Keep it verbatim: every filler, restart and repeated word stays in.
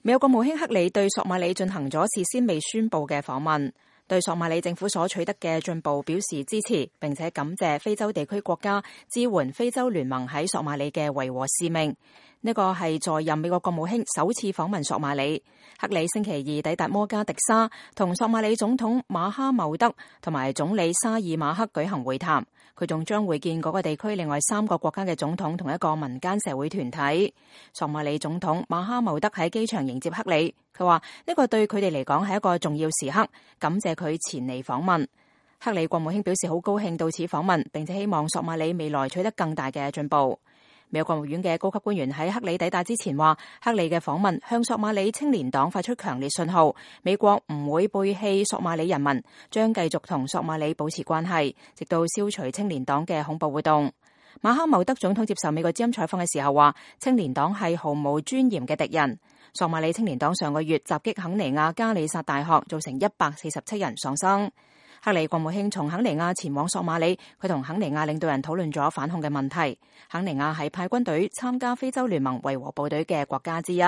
美國國務卿克里對索馬里進行咗事先未宣佈嘅訪問，對索馬里政府所取得嘅進步表示支持，並且感謝非洲地區國家支援非洲聯盟喺索馬里嘅維和使命。呢個係在任美國國務卿首次訪問索馬里。克里星期二抵達摩加迪沙，同索馬里總統馬哈茂德同埋總理沙爾馬克舉行會談。佢仲將會見嗰個地區另外三個國家嘅總統同一個民間社會團體。索馬里總統馬哈茂德喺機場迎接克里，佢話呢個對佢哋嚟講係一個重要時刻，感謝佢前嚟訪問。克里國務卿表示好高興到此訪問，並且希望索馬里未來取得更大嘅進步。美國國務院嘅高級官員喺克里抵達之前話，克里嘅訪問向索馬里青年黨發出強烈信號，美國唔會背棄索馬里人民，將繼續同索馬里保持關係，直到消除青年黨嘅恐怖活動。馬哈茂德總統接受美國之音採訪嘅時候話，青年黨係毫無尊嚴嘅敵人。索馬里青年黨上個月襲擊肯尼亞加里薩大學，造成一百四十七人喪生。克里國務卿從肯尼亞前往索馬里，佢同肯尼亞領導人討論咗反恐嘅問題。肯尼亞係派軍隊參加非洲聯盟維和部隊嘅國家之一。